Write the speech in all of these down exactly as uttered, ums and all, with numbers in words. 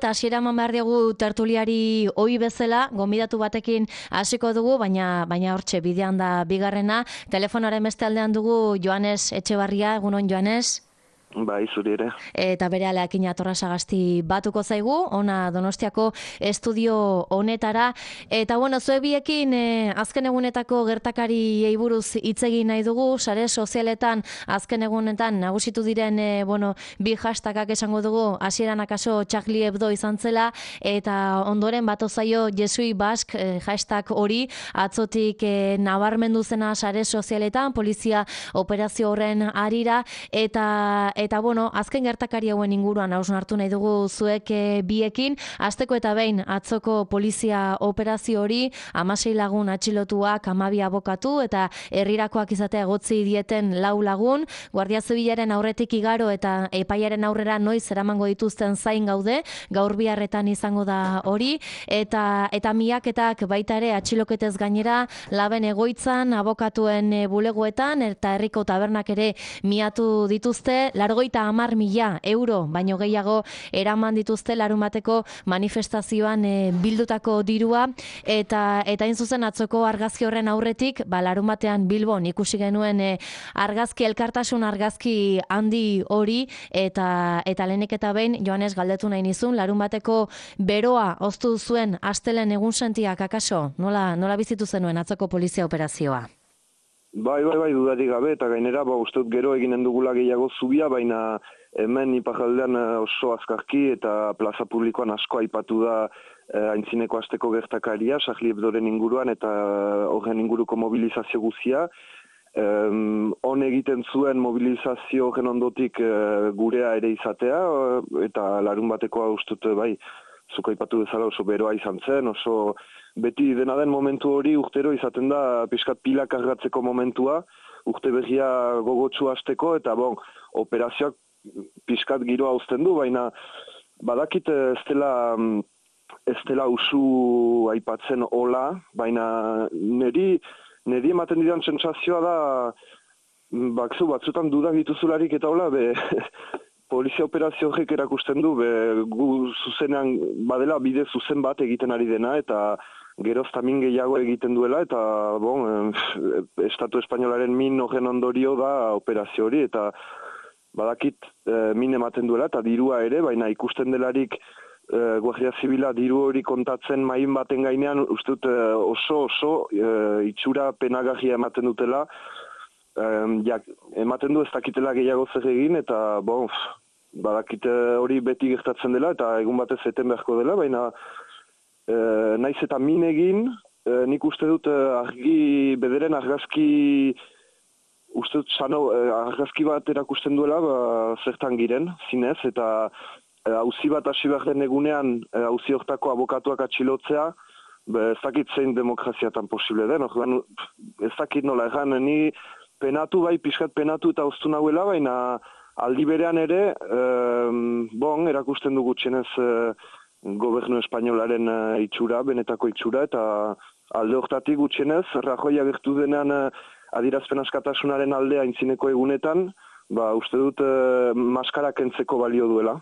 Eta hasiera eman behar diogu tertuliari ohi bezala, gonbidatu batekin hasiko dugu, baina baina hortxe bidean da bigarrena. Telefonaren beste aldean dugu Joanes Etxebarria, egunon Joanes. Bai, zuri ere. Eta bere aleakin atorra sagasti batuko zaigu, ona Donostiako estudio honetara. Eta bueno, zue biekin eh, azken egunetako gertakari eiburuz hitz egin nahi dugu, sare sozialetan azken egunetan nagusitu diren eh, bueno, bi hashtagak esango dugu, hasieran akaso Charlie Hebdo izan zela, eta ondoren bato zaio Jesui Bask eh, hashtag hori, atzotik eh, nabarmendu zena sare sozialetan, polizia operazio horren harira, eta Eta, bueno, azken gertakari hauen inguruan hausnartu nahi dugu zuek e, biekin. Azteko eta behin atzoko polizia operazio hori, hamasei lagun atxilotuak, hamabi abokatu, eta herrirakoak izatea egotzi dieten lau lagun. Guardia Zibilaren aurretik igaro eta epaiaren aurrera noiz eramango dituzten zain gaude, gaur biharretan izango da hori. Eta, eta miaketak baita ere atxiloketez gainera, laben egoitzan, abokatuen e, bulegoetan, eta herriko tabernak ere miatu dituzte, largoita hamar mila euro, baino gehiago eraman dituzte larumateko manifestazioan e, bildutako dirua, eta eta hain zuzen atzoko argazki horren aurretik, ba, larumatean Bilbon ikusi genuen e, argazki elkartasun argazki handi hori, eta eta lehenik eta behin Joanes galdetu nahi nizun, larumateko beroa oztu zuen astelen egun sentiak akaso, nola, nola bizitu zenuen atzoko polizia operazioa? Bai, bai, bai, dudarik gabe, eta gainera, ba, uste dut gero eginen dugula gehiago zubia, baina hemen iparraldean oso azkarki eta plaza publikoan asko aipatu da eh, aintzineko asteko gertakaria, Charlie Hebdoren inguruan eta horren inguruko mobilizazio guzia. Um, on egiten zuen mobilizazio horren ondotik eh, gurea ere izatea, eta larun batekoa uste dut, bai, zuko aipatu bezala oso beroa izan zen, oso beti dena den momentu hori urtero izaten da pixkat pila kargatzeko momentua, urte berria gogotsu hasteko, eta bon, operazioak pixkat giroa uzten du, baina badakit ez dela, ez dela usu aipatzen hola, baina niri, niri ematen didan sentsazioa da, bakzu batzutan dudak dituzularik eta hola, be, polizia operazio horrek erakusten du, be, gu zuzenean badela bide zuzen bat egiten ari dena, eta geroz tamin gehiago egiten duela, eta bon, Estatu Espainolaren min horren ondorio da operazio hori, eta badakit e, min ematen duela, eta dirua ere, baina ikusten delarik e, Guardia Zibila diru hori kontatzen main baten gainean, uste dut e, oso oso e, itxura penagarria ematen dutela, e, jak, ematen du ez dakitela gehiago zer egin, eta bon, badakit hori beti gertatzen dela, eta egun batez eten beharko dela, baina E, naiz eta min egin, e, nik uste dut e, argi, bederen argazki, uste dut sano, e, argazki bat erakusten duela, ba, zertan giren, zinez, eta e, auzi bat hasi behar den egunean, e, auzi hortako abokatuak atxilotzea, be, ez dakit zein demokraziatan posible den, orduan, ez dakit nola erran, ni penatu, bai, pixkat penatu eta oztu nahuela, baina aldi berean ere, e, bon, erakusten du gutxienez, e, gobernu espainolaren uh, itxura, benetako itxura, eta alde hortatik gutxienez, Rajoy agertu denean uh, adierazpen askatasunaren aldea aintzineko egunetan, ba, uste dut uh, maskara kentzeko balio duela.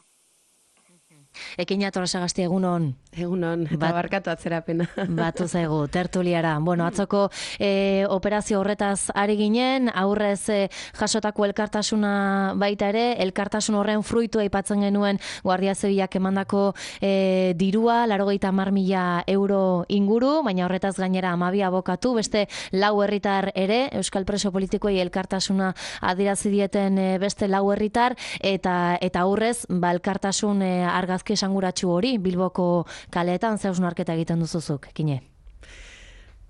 Ekin atorra sagasti egunon. Egunon, eta Bat, barkatu atzerapena. Batu zaigu, tertuliara. Bueno, atzoko e, operazio horretaz ari ginen, aurrez e, jasotako elkartasuna baita ere, elkartasun horren fruitu aipatzen genuen Guardia Zibilak emandako e, dirua, laurogeita hamar mila euro inguru, baina horretaz gainera hamabi abokatu, beste lau herritar ere, Euskal Preso Politikoei elkartasuna adierazi dieten e, beste lau herritar, eta eta aurrez, ba, elkartasun e, argazki esanguratsu hori, Bilboko kaleetan ze hausnarketa egiten duzuzuk, Kine?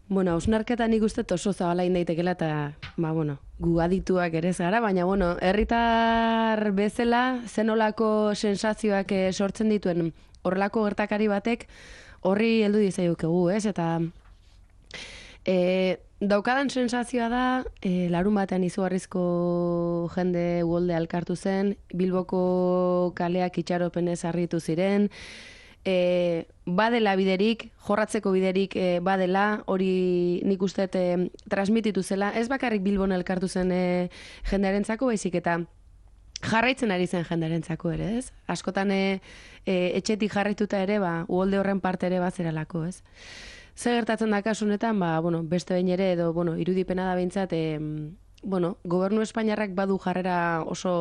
Bueno, hausnarketa nik uste oso zabala indaitekela, eta, ba, bueno, gu adituak ere ez gara, baina, bueno, herritar bezala, zenolako sensazioak sortzen dituen horrelako gertakari batek, horri heldu dizaiokegu, ez? Eta e, daukadan sensazioa da, e, larun batean izugarrizko jende uholde elkartu zen, Bilboko kaleak itxaropenez harritu ziren, E, badela biderik, jorratzeko biderik e, badela, hori nik uste e, transmititu zela, ez bakarrik Bilbon elkartu zen e, jendearentzako, baizik eta jarraitzen ari zen jenderentzako ere, ez? Askotan e, e, etxetik jarraituta ere, ba, uholde horren parte ere bazeralako, ez? Zer gertatzen da kasu honetan, ba, bueno, beste behin ere, edo, bueno, irudipena da behintzat, e, bueno, gobernu Espainiarrak badu jarrera oso,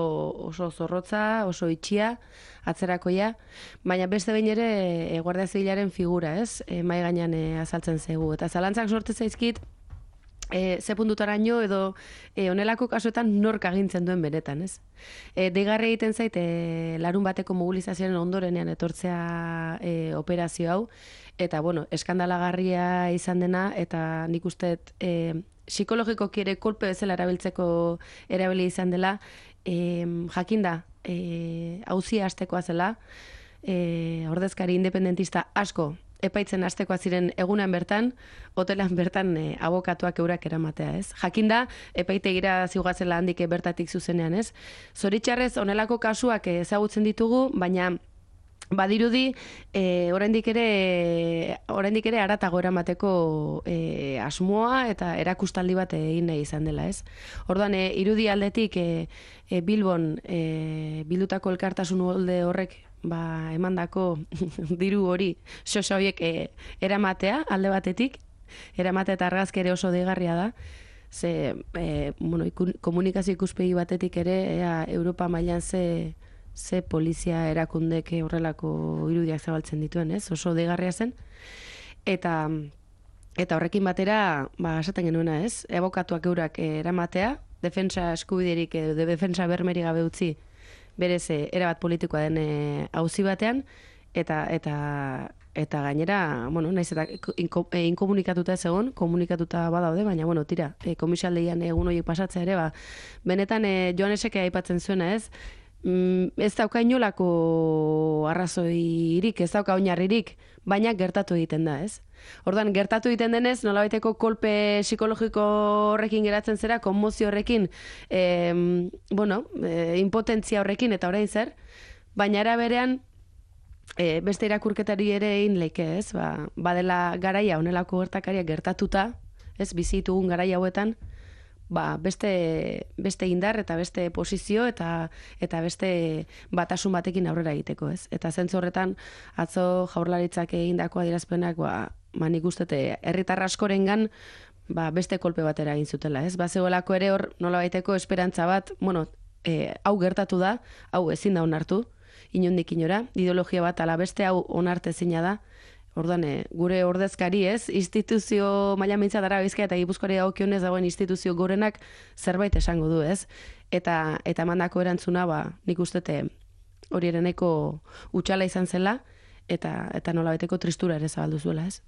oso zorrotza, oso itxia, atzerakoia, baina beste behin ere e, Guardia Zibilaren figura, ez? E, mai gainean e, azaltzen zaigu. Eta zalantzak sortu zaizkit, E, ze puntutaraino edo e, onelako kasuetan nork agintzen duen benetan, ez? E, deigarri egiten zait, e, larun bateko mobilizazioaren ondorenean etortzea e, operazio hau, eta, bueno, eskandalagarria izan dena, eta nik uste e, psikologikoki ere kolpe bezala erabiltzeko erabili izan dela, e, jakinda, e, auzia hastekoa zela, e, ordezkari independentista asko, epaitzen hastekoa ziren egunan bertan, hotelan bertan e, abokatuak eurak eramatea, ez? Jakinda, epaitegira ziugazela handik bertatik zuzenean, ez? Zoritxarrez, onelako kasuak ezagutzen ditugu, baina badirudi, e, oraindik ere, oraindik ere haratago eramateko e, asmoa eta erakustaldi bat egin nahi izan dela, ez? Orduan, e, irudi aldetik e, e, Bilbon e, bildutako elkartasun uholde horrek ba, emandako diru hori, xoxa horiek e, eramatea, alde batetik, eramatea eta argazki ere oso deigarria da, ze, e, bueno, ikun, komunikazio ikuspegi batetik ere, ea, Europa mailan ze, ze polizia erakundek horrelako irudiak zabaltzen dituen, ez? Oso deigarria zen, eta, eta horrekin batera, ba, esaten genuena, ez? Abokatuak eurak eramatea, defensa eskubiderik edo defensa bermeri gabe utzi, berez erabat politikoa den auzi batean, eta eta eta gainera, bueno, naiz eta inkomunikatuta ez egon, komunikatuta badaude, baina, bueno, tira, e, komisaldeian egun horiek pasatzea ere, ba, benetan e, Joanesek aipatzen zuena, ez? Mm, ez dauka inolako arrazoirik, ez dauka oinarririk, baina gertatu egiten da, ez? Orduan, gertatu egiten denez, nolabaiteko kolpe psikologiko horrekin geratzen zera, konmozio horrekin, e, bueno, e, impotentzia horrekin, eta orain zer, baina era berean, e, beste irakurketari ere egin leike, ez? Ba, badela garaia, honelako gertakariak gertatuta, ez, bizitugun garaia hauetan, ba, beste, beste indar eta beste posizio eta eta beste batasun batekin aurrera egiteko, ez? Eta zentzu horretan, atzo Jaurlaritzak egindako adierazpenak, ba, ba nik uste herritar askorengan ba, beste kolpe batera egin zutela, ez? Ba, zegoelako ere hor nolabaiteko esperantza bat, bueno, e, hau gertatu da, hau ezin da onartu, inondik inora, ideologia bat ala beste hau onartezina da. Orduan, e, gure ordezkari, ez, instituzio maila mintza dara Bizkaia eta Gipuzkoari dagokionez dagoen instituzio gorenak zerbait esango du, ez? Eta eta emandako erantzuna, ba, nik ustete hori ere nahiko hutsala izan zela, eta eta nolabeteko tristura ere zabaldu zuela, ez?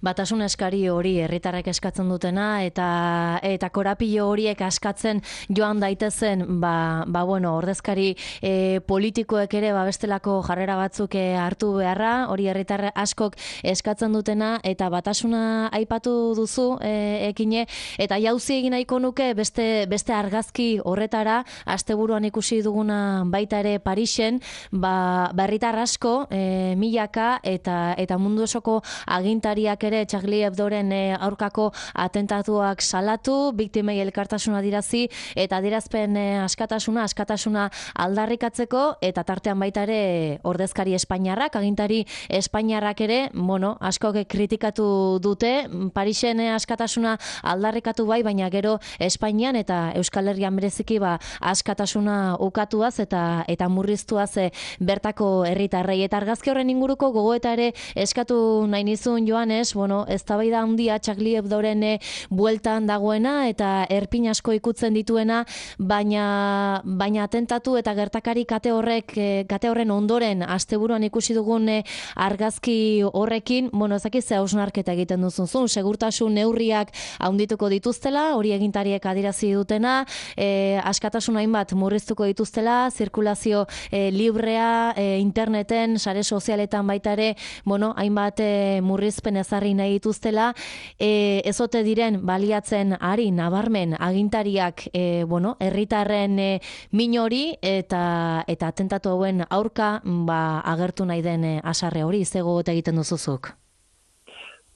Batasun eskari hori herritarrek eskatzen dutena eta eta korapilo horiek askatzen joan daitezen, ba, ba bueno, ordezkari e, politikoek ere ba bestelako jarrera batzuk e, hartu beharra, hori herritar askok eskatzen dutena, eta batasuna aipatu duzu e, ekine, eta jauzi egin nahiko nuke beste beste argazki horretara, asteburuan ikusi duguna baita ere Parisen, ba herritar asko e, milaka eta eta mundu osoko agintariak ere Charlie Hebdoren aurkako atentatuak salatu, biktimei elkartasuna dirazi eta adierazpen askatasuna, askatasuna aldarrikatzeko, eta tartean baita ere ordezkari espainiarrak, agintari espainiarrak ere, bueno, askok kritikatu dute, Parisen askatasuna aldarrikatu bai, baina gero Espainian eta Euskal Herrian bereziki ba askatasuna ukatuaz eta eta murriztuaz e, bertako herritarrei, eta argazki horren inguruko gogoeta ere eskatu nahi nizun Joanes, bueno, eztabaida handia Charlie Hebdoren bueltan dagoena eta erpin asko ikutzen dituena, baina baina atentatu eta gertakari kate horrek kate horren ondoren asteburuan ikusi dugun argazki horrekin, bueno, ez dakit ze hausnarketa egiten duzun, segurtasun neurriak handituko dituztela, hori agintariek adierazi dutena, e, askatasun hainbat murriztuko dituztela, zirkulazio e, librea, e, interneten, sare sozialetan baita ere, bueno, hainbat e, murrizpen ezarri nahi dituztela, e, ezote diren baliatzen ari nabarmen agintariak, e, bueno, herritarren e, min hori eta eta atentatu hauen aurka ba, agertu nahi den e, asarre hori, zego egiten duzuzuk?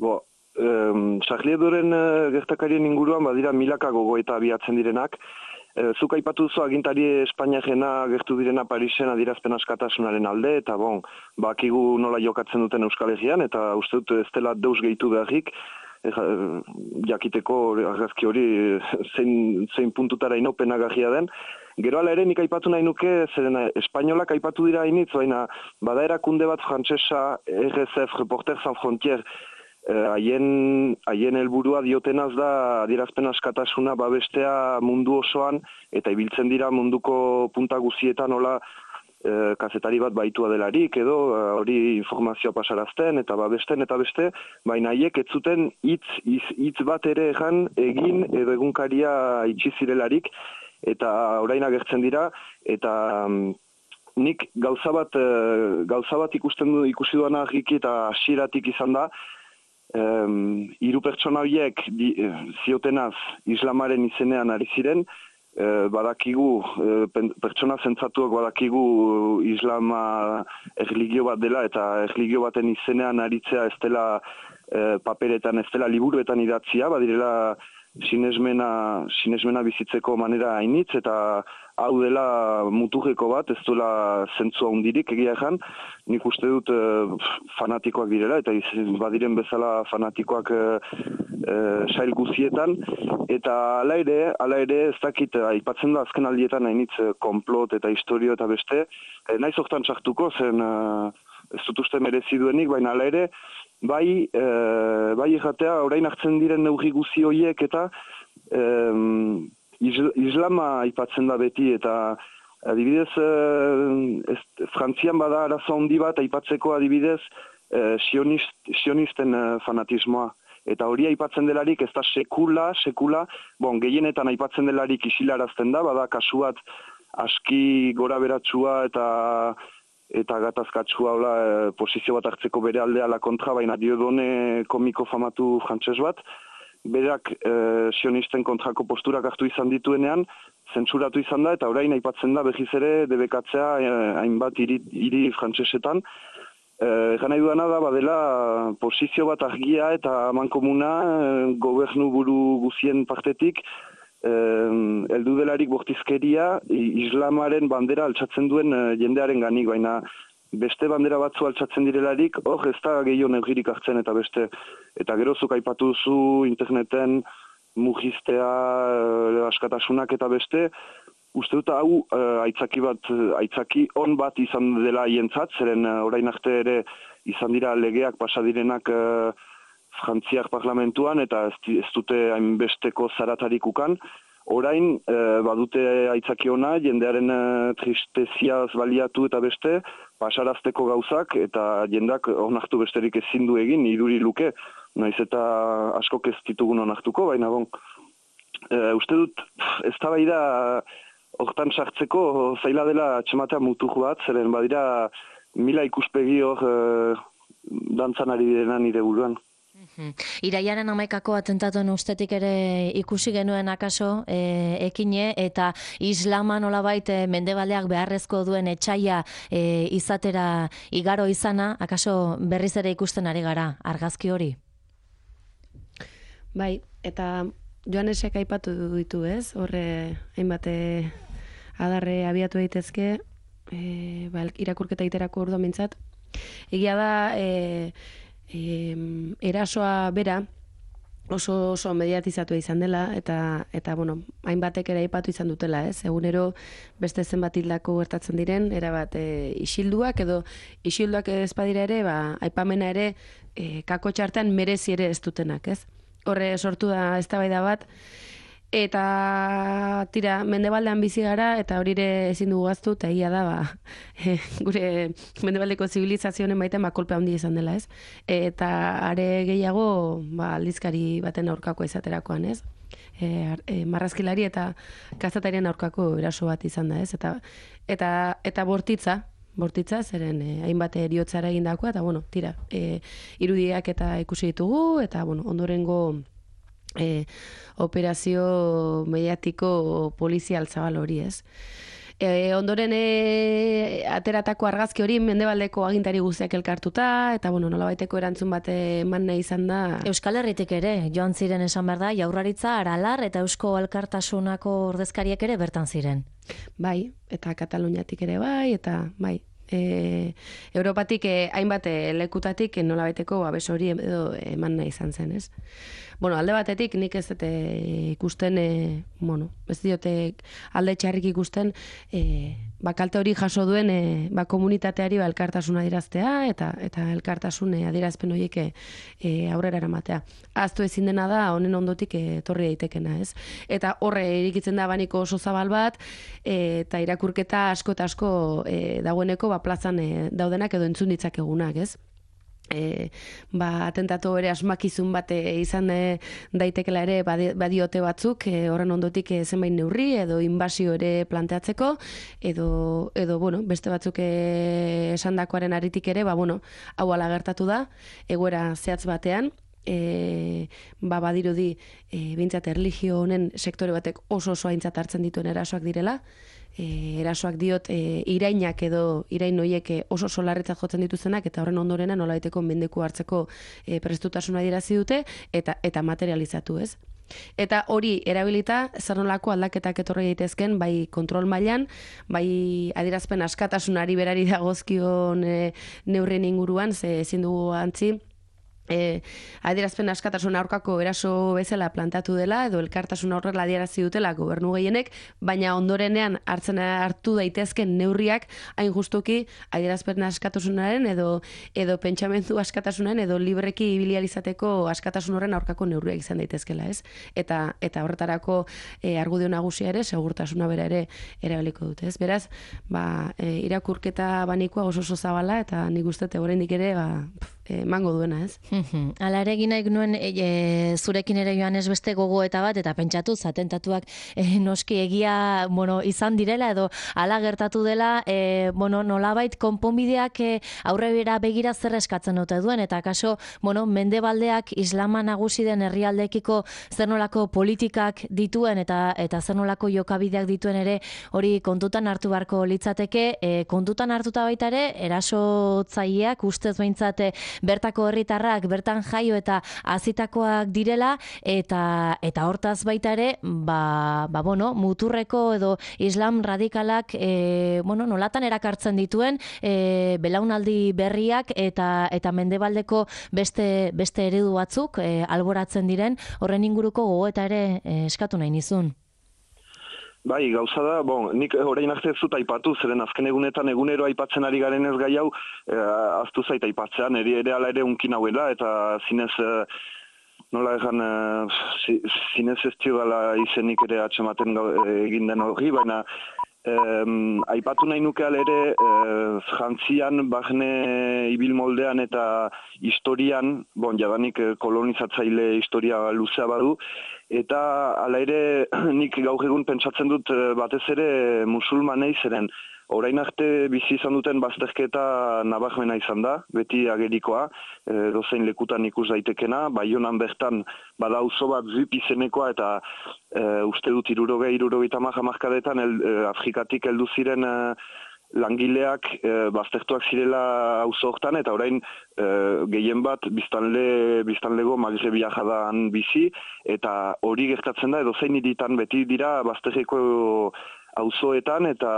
Bo, um, Charlie Hebdoren uh, gertakarien inguruan badira milaka gogoeta abiatzen direnak, E, zuk aipatu duzu agintari Espainiarena gertu direna Parisen adierazpen askatasunaren alde, eta bon, bakigu nola jokatzen duten Euskal Herrian, eta uste dut ez dela deus gehitu beharrik, e, jakiteko argazki hori zein, zein puntutara inopenagarria den. Gero ala ere nik aipatu nahi nuke, zeren espainolak aipatu dira hainitz, baina bada erakunde bat frantsesa R S F, Reporters Sans Frontières, haien haien helburua diotenaz da adierazpen askatasuna babestea mundu osoan, eta ibiltzen dira munduko punta guzietan hola e, kazetari bat baitua delarik, edo hori informazioa pasarazten, eta babesten, eta beste, baina haiek ez zuten hitz hitz bat ere egan egin edo egunkaria itxi zirelarik, eta orain agertzen dira, eta um, nik gauza bat, uh, gauza bat ikusten du, ikusi duana argiki eta hasieratik izan da, um, hiru pertsona horiek di, ziotenaz islamaren izenean ari ziren, uh, badakigu, uh, pertsona zentzatuak badakigu islama erligio bat dela, eta erligio baten izenean aritzea ez dela uh, paperetan, ez dela liburuetan idatzia, badirela sinesmena, sinesmena bizitzeko manera hainitz, eta hau dela muturreko bat, ez duela zentzua hundirik egia ejan, nik uste dut e, fanatikoak direla, eta iz, badiren bezala fanatikoak e, e, sail guzietan, eta ala ere, ala ere ez dakit, aipatzen da azken aldietan hainitz konplot eta historio eta beste, e, naiz hortan sartuko, zen e, ez dut uste merezi duenik, baina ala ere, bai, e, bai erratea, orain hartzen diren neurri guzi horiek eta e, islama aipatzen da beti, eta adibidez, e, ez, Frantzian bada arazo handi bat aipatzeko adibidez e, sionist, sionisten e, fanatismoa. Eta hori aipatzen delarik ez da sekula, sekula, bon, gehienetan aipatzen delarik isilarazten da, bada kasu bat aski gora beratsua eta eta gatazkatsua hola, e, posizio bat hartzeko bere aldea la kontra, baina Diodone komiko famatu frantses bat, berak e, sionisten kontrako posturak hartu izan dituenean, zentsuratu izan da, eta orain aipatzen da behiz ere debekatzea e, hainbat hiri, hiri frantsesetan. Egan nahi duana da, badela posizio bat argia eta mankomuna e, gobernu buru guzien partetik, heldu delarik bortizkeria islamaren bandera altxatzen duen jendearen ganik, baina beste bandera batzu altxatzen direlarik, hor ez da gehiago negirik hartzen eta beste. Eta gerozuk aipatu duzu interneten mugiztea, askatasunak eta beste, uste dut hau aitzaki bat, aitzaki on bat izan dela hientzat, zeren orain arte ere izan dira legeak pasadirenak Frantziak parlamentuan, eta ez, ez dute hainbesteko zaratarik ukan. Orain, e, badute aitzaki ona, jendearen e, tristeziaz baliatu eta beste, pasarazteko gauzak, eta jendak onartu besterik ezin du egin, iduri luke, naiz eta askok ez ditugun onartuko, baina bon. E, uste dut, ez da bai da, hortan sartzeko zaila dela txematea mutur bat, zeren badira mila ikuspegi hor e, dantzan ari direna nire buruan. Iraiaren hamaikako atentatuen ustetik ere ikusi genuen akaso e, ekine, eta islama nolabait e, mendebaldeak beharrezko duen etxaia e, izatera igaro izana, akaso berriz ere ikusten ari gara argazki hori? Bai, eta Joanesek aipatu ditu, ez? Horre hainbat adarre abiatu daitezke, e, ba, irakurketa iterako orduan mintzat. Egia da, e, E, erasoa bera oso oso mediatizatu izan dela, eta eta bueno, hainbatek ere aipatu izan dutela, ez? Egunero beste zenbat hildako gertatzen diren, erabat e, isilduak edo isilduak ez badira ere, ba aipamena ere e, kako txartean merezi ere ez dutenak, ez? Horre sortu da eztabaida bat. Eta tira, mendebaldean bizi gara, eta hori ere ezin dugu gaztu, eta egia da, ba, e, gure mendebaldeko zibilizazioen baiten ba, kolpe handi izan dela, ez? Eta are gehiago, ba, aldizkari baten aurkakoa izaterakoan, ez? E, e, marrazkilari eta kazatarien aurkako eraso bat izan da, ez? Eta, eta, eta bortitza, bortitza, zeren e, hainbat eriotzara egindakoa, eta bueno, tira, e, irudiak eta ikusi ditugu, eta bueno, ondorengo E, operazio mediatiko polizial zabal hori, ez. E, ondoren e, ateratako argazki hori mendebaldeko agintari guztiak elkartuta, eta bueno, nolabaiteko erantzun bat eman nahi izan da. Euskal Herritik ere, joan ziren esan behar da, Jaurlaritza, Aralar eta Eusko Alkartasunako ordezkariak ere bertan ziren. Bai, eta Kataluniatik ere bai, eta bai. E, Europatik e, hainbat e, lekutatik e, nolabaiteko babes hori edo eman nahi izan zen, ez? Bueno, alde batetik nik ez dute ikusten, e, bueno, ez diote alde txarrik ikusten, e, ba, kalte hori jaso duen e, ba, komunitateari ba, elkartasuna adieraztea eta eta elkartasun e, adierazpen horiek e, aurrera eramatea. Ahaztu ezin dena da honen ondotik etorri daitekena, ez? Eta horre irikitzen da baniko oso zabal bat, e, eta irakurketa asko eta asko e, dagoeneko ba, plazan e, daudenak edo entzun ditzakegunak, ez? E, ba, atentatu ere asmakizun bat e, izan e, daitekela ere badiote batzuk e, horren ondotik e, zenbait neurri edo inbasio ere planteatzeko edo, edo bueno, beste batzuk e, esandakoaren aritik ere ba, bueno, hau ala gertatu da egoera zehatz batean. E, ba, badirudi e, bintzat erlijio honen sektore batek oso oso aintzat hartzen dituen erasoak direla. E, erasoak diot e, irainak edo irain horiek oso solarretzat jotzen dituzenak eta horren ondorena nolabaiteko mendeku hartzeko e, prestutasuna adierazi dute eta eta materializatu, ez? Eta hori erabilita zer nolako aldaketak etorri daitezken bai kontrol mailan, bai adierazpen askatasunari berari dagozkion e, neurrien inguruan, ze ezin dugu antzi E, adierazpen askatasun aurkako eraso bezala plantatu dela edo elkartasun horrela adierazi dutela gobernu gehienek, baina ondorenean hartzen hartu daitezken neurriak hain justuki adierazpen askatasunaren edo edo pentsamendu askatasunaren edo libreki ibilializateko askatasun horren aurkako neurriak izan daitezkela, ez? Eta eta horretarako e, argudio nagusia ere segurtasuna bera ere erabiliko dute, ez? Beraz, ba, e, irakurketa banikoa oso oso zabala eta nik uste oraindik ere ba emango duena, ez? Hala ere egin nahi nuen e, e, zurekin ere joan ez beste gogoeta bat eta pentsatu atentatuak e, noski egia bueno, izan direla edo hala gertatu dela e, bueno, nolabait konponbideak e, aurrera begira zer eskatzen dute duen eta kaso bueno, mendebaldeak islama nagusi den herrialdekiko zer nolako politikak dituen eta eta zer nolako jokabideak dituen ere hori kontutan hartu beharko litzateke e, kontutan hartuta baita ere erasotzaileak ustez behintzat bertako herritarrak bertan jaio eta hazitakoak direla eta eta hortaz baita ere ba, ba bueno, muturreko edo islam radikalak e, bueno, nolatan erakartzen dituen e, belaunaldi berriak eta eta mendebaldeko beste beste eredu batzuk e, alboratzen diren horren inguruko gogoeta ere e, eskatu nahi nizun. Bai, gauza da, bon, nik orain arte ez dut aipatu, zeren azken egunetan egunero aipatzen ari garen ez gai hau, eh, aztu zait aipatzean, eri ere ala ere unkin hauela, eta zinez, eh, nola egan, eh, zinez ez dela izenik ere atxematen egin den hori, baina eh, aipatu nahi nuke ala ere, eh, jantzian, bahne ibil moldean eta historian, bon, jadanik kolonizatzaile historia luzea badu, eta hala ere nik gaur egun pentsatzen dut batez ere musulmanei zeren orain arte bizi izan duten bazterketa nabarmena izan da, beti agerikoa, e, dozein lekutan ikus daitekena, Baionan bertan bada auzo bat Zip izenekoa eta e, uste dut hirurogei hirurogeita hamar hamarkadetan e, Afrikatik heldu ziren e, langileak e, baztertuak zirela auzo hortan eta orain e, gehien bat biztanle biztanlego Magrebia jadan bizi eta hori gertatzen da edozein hiritan beti dira bazterreko auzoetan eta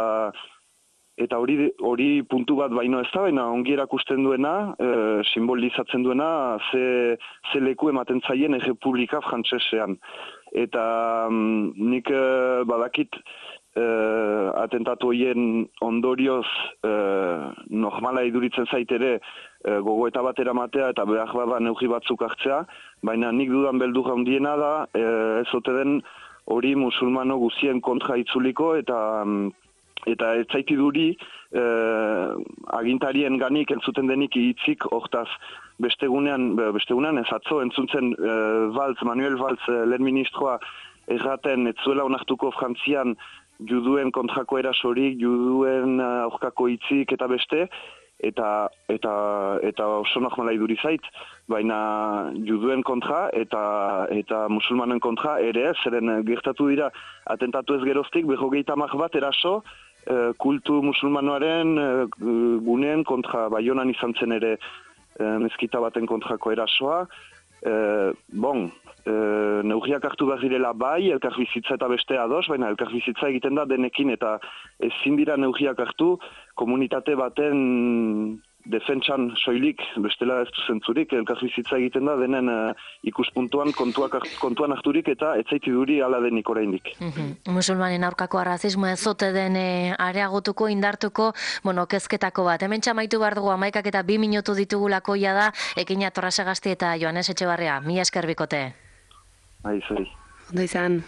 eta hori hori puntu bat baino ez da, baina ongi erakusten duena, e, simbolizatzen duena ze, ze leku ematen zaien Errepublika Frantsesean. Eta mm, nik e, badakit Uh, atentatu horien ondorioz uh, normala iduritzen zaitere uh, gogoeta bat eramatea eta behar bada neurri batzuk hartzea, baina nik dudan beldur handiena da uh, ez ote den hori musulmano guzien kontra itzuliko eta um, eta ez zaiti duri uh, agintarien ganik entzuten denik hitzik hortaz bestegunean, bestegunean ez atzo entzuntzen uh, Valls, Manuel Valls, uh, lehen ministroa erraten ez zuela onartuko Frantzian juduen kontrako erasorik, juduen aurkako hitzik eta beste, eta eta eta oso normala iduri zait, baina juduen kontra eta eta musulmanen kontra ere, zeren gertatu dira atentatu ez geroztik, berrogeita hamar bat eraso e, kultu musulmanoaren e, guneen kontra, Baionan izan zen ere e, mezkita baten kontrako erasoa. E, bon, e, neurriak hartu behar direla bai, elkarbizitza eta beste ados, baina elkarbizitza egiten da denekin eta ezin dira neurriak hartu komunitate baten defentsan soilik, bestela ez du zentzurik, elkarbizitza egiten da denen uh, ikuspuntuan kontuak, kontuan harturik eta etzaiti duri ala denik oraindik. Mm-hmm. Musulmanen aurkako arrazismoa ez zote den e, areagotuko, indartuko, bueno, kezketako bat. Hemen txamaitu behar dugu amaikak eta bi minutu ditugulako da, Ekina Torrasagasti eta Joanes Etxebarria. Mila esker bikote. Bai, zai. Ondo izan.